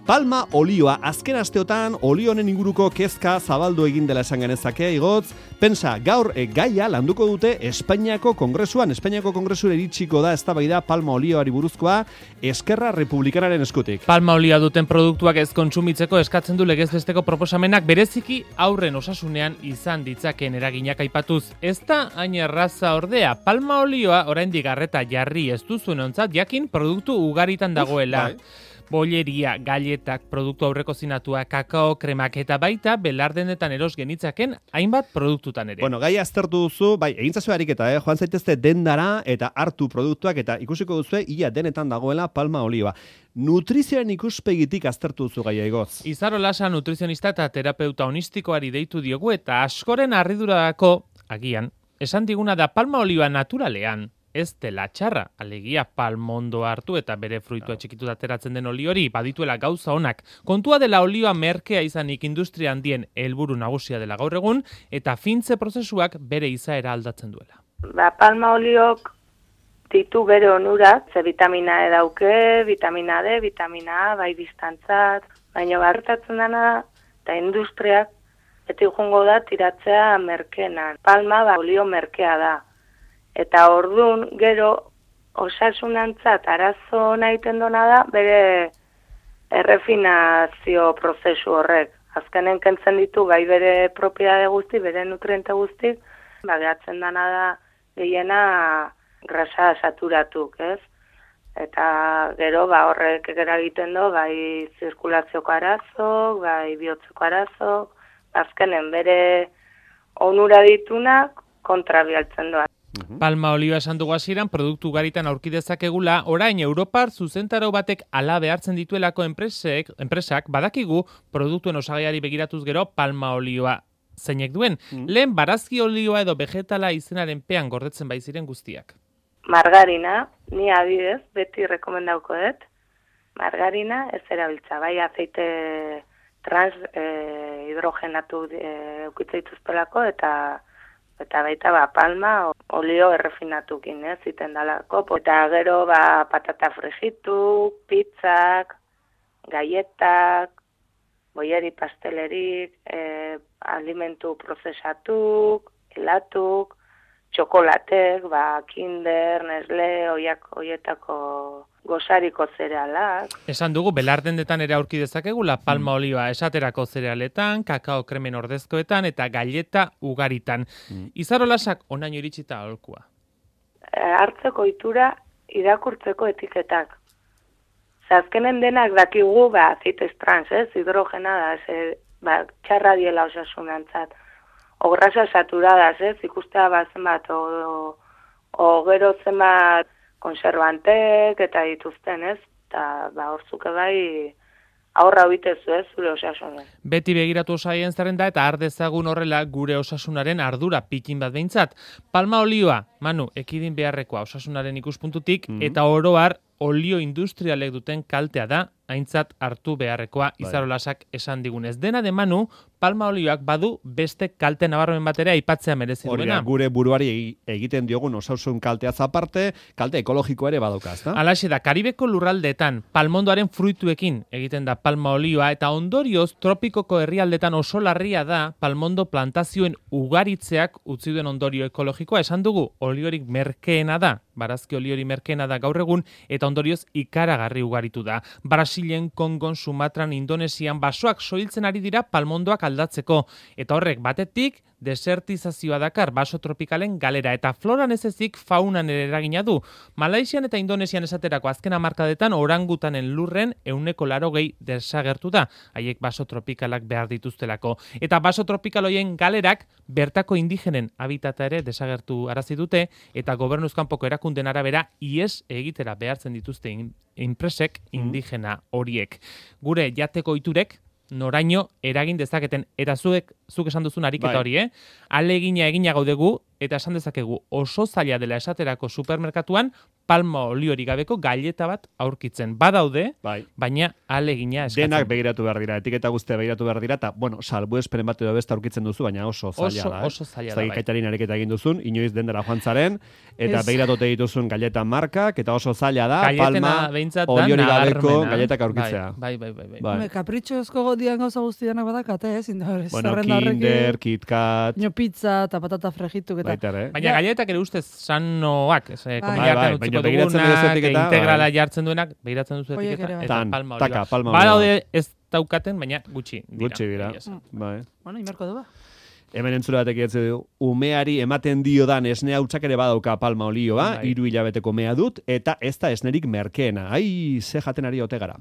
Palma olioa, azken asteotan olio honen inguruko kezka zabaldu egin dela esan genezake, igotz. Pensa, gaur gaia landuko dute Espainiako Kongresuan. Espainiako Kongresura iritsiko da eztabaida palma olioari buruzkoa Eskerra Republikanaren eskutik. Palma olioa duten produktuak ez kontsumitzeko eskatzen du legez besteko proposamenak bereziki haurren osasunean izan ditzakeen eraginak aipatuz. Ez da hain erraza ordea, palma olioa oraindik arreta jarri ez duzunontzat jakin produktu ugaritan dagoela. Bolleria, galletak, produktu aurrekozinatua, kakao, kremak eta baita belardenetan eros genitzaken hainbat produktutan ere. Bueno, gai aztertu duzu, bai, egintzazu ariketa, joan zaitezte dendara eta hartu produktuak eta ikusiko duzue ia denetan dagoela palma olioa. Nutrizioaren ikuspegitik aztertu duzu gaia, Igotz. Izaro Lasa nutrizionista eta terapeuta honistikoari deitu diogu eta askoren harridurako, agian, esan diguna da palma olioa naturalean. Ez dela txarra, alegia palmondo hartu eta bere fruitua txikitu ateratzen den oli hori badituela gauza onak. Kontua dela olioa merkea izanik industria handien helburu nagusia dela gaur egun eta fintze prozesuak bere izaera aldatzen duela. Palma oliok ditu bere onurak, ze vitamina E dauke, vitamina D, vitamina A, bai distantzat, baina hartatzen dena eta industriak beti joango da tiratzea merkenan. Palma olio merkea da. Eta ordun gero osasunantzat arazo nahiten dona da bere errefinazio prozesu horrek. Azkenen kentzen ditu bai bere propiedade guzti, bere nutriente guzti, gehatzen dana da gehiena grasa saturatuk, ez? Eta gero horrek eragiten du bai zirkulazioko arazok, bai bihotzeko arazok, azkenen bere onura ditunak kontrabialtzen doa. Palma olioa esan dugu hasieran produktu garitan aurki dezakegula, orain Europar zuzentarau batek hala behartzen dituelako enpresak badakigu produktuen osagaiari begiratuz gero palma olioa zeinek duen. Lehen barazki olioa edo vegetala izenaren pean gordetzen baiziren guztiak. Margarina, ni adidez, beti rekomendauko dut. Margarina ez erabiltza, bai azeite trans hidrogenatu eukitza dituztelako eta baita palma olio errefinatukin, ziten dalako. Eta gero patata fregitu, pizzak, galletak, boieri pastelerik, alimentu prozesatuk, helatuk, txokolatek, Kinder, Nestle, hoietako gozariko zerealak. Esan dugu, belardendetan ere aurki dezakegula palma olioa esaterako zerealetan, kakao kremen ordezkoetan eta galleta ugaritan. Izaro Lasak onaino iritsita aholkua. Hartzeko itura irakurtzeko etiketak. Azkenen denak dakigu azeites trans, hidrogena da, txarra diela osasunantzat. O grasa saturadas, ikustea zenbat, o gero zenbat konservantek eta dituzten, eta horzuke bai aurra bitezu, zure osasunen. Beti begiratu osaien zerrenda eta ardezagun horrela gure osasunaren ardura pikin bat behintzat. Palma olioa, Manu, ekidin beharrekoa osasunaren ikuspuntutik, eta oroar olio industrialek duten kaltea da, aintzat hartu beharrekoa Izaro Lasak esan digunez. Dena de Manu, palma olioak badu beste kalte nabarmen batera aipatzea merezi duena. Gure buruari egiten diogun osasun kalteaz aparte, kalte ekologiko ere badauka, ezta? Halaxe da, Karibeko lurraldetan palmondoaren fruituekin egiten da palma olioa eta ondorioz tropikoko herrialdetan oso larria da palmondo plantazioen ugaritzeak utzi duen ondorio ekologikoa. Esan dugu, oliorik merkeena da, barazki oliori merkeena da gaur egun eta ondorioz ikaragarri ugaritu da. Brasilen, Kongon, Sumatran, Indonesian basoak soiltzen ari dira palmondoak aldatzeko eta horrek batetik desertizazioa dakar baso tropikalen galera eta floran ez ezik faunan ere eragina du. Malaisian eta Indonesian esaterako azken hamarkadetan orangutanen lurren 80% desagertu da, haiek baso tropikalak behar dituztelako. Eta baso tropikal hoien galerak bertako indigenen habitata ere desagertu arazi dute eta gobernuzkanpoko erakunden arabera ies egitera behartzen dituzte enpresek indigena horiek. Gure jateko ohiturek noraino eragin dezaketen eta zuek zuk esan duzun ariketa Bai. hori, alegina egina gaudegu, eta esan dezakegu oso zaila dela esaterako supermerkatuan palma oliorik gabeko galleta bat aurkitzen. Badaude, Bai. baina alegina eskatzen. Denak begiratu behar dira, etiketa guztia begiratu behar dira, eta, bueno, salbuespenen bat edo beste aurkitzen duzu, baina oso zaila da. Oso zaila da, bai. Kaitarin ariketa egin duzun, inoiz dendera joan zaren, eta Ez. begiratote dituzun galleta markak, eta oso zaila da, Galletena palma behintzat da oliorik gabeko nabarmena. galletak aurkitzea. Bai. Bai. Kapritxozko dian gauza guztianak badakate, ez? Bueno, Zerrenda horrekin, Kinder, KitKat, pizza eta patata frejituk eta... baita ere. Baina galletak ere ustez sanoak, komunitatean bai, utziko baina begiratzen dugunak, duzu etiketa, integrala bai. jartzen duenak, begiratzen duzu Horiek etiketa, ere bai. eta Tan, palma taka, olioa. palma olioa. Badaude ez daukaten, baina gutxi dira. Gutxi dira. egia esan. Bai. Bueno, inberko du ba. Hemen entzule batek idatzi du, umeari ematen diodan esne hautsak ere badauka palma olioa, Bai. 3 hilabeteko mea dut, eta ez da esnerik merkeena. Ai, ze jaten ari ote gara.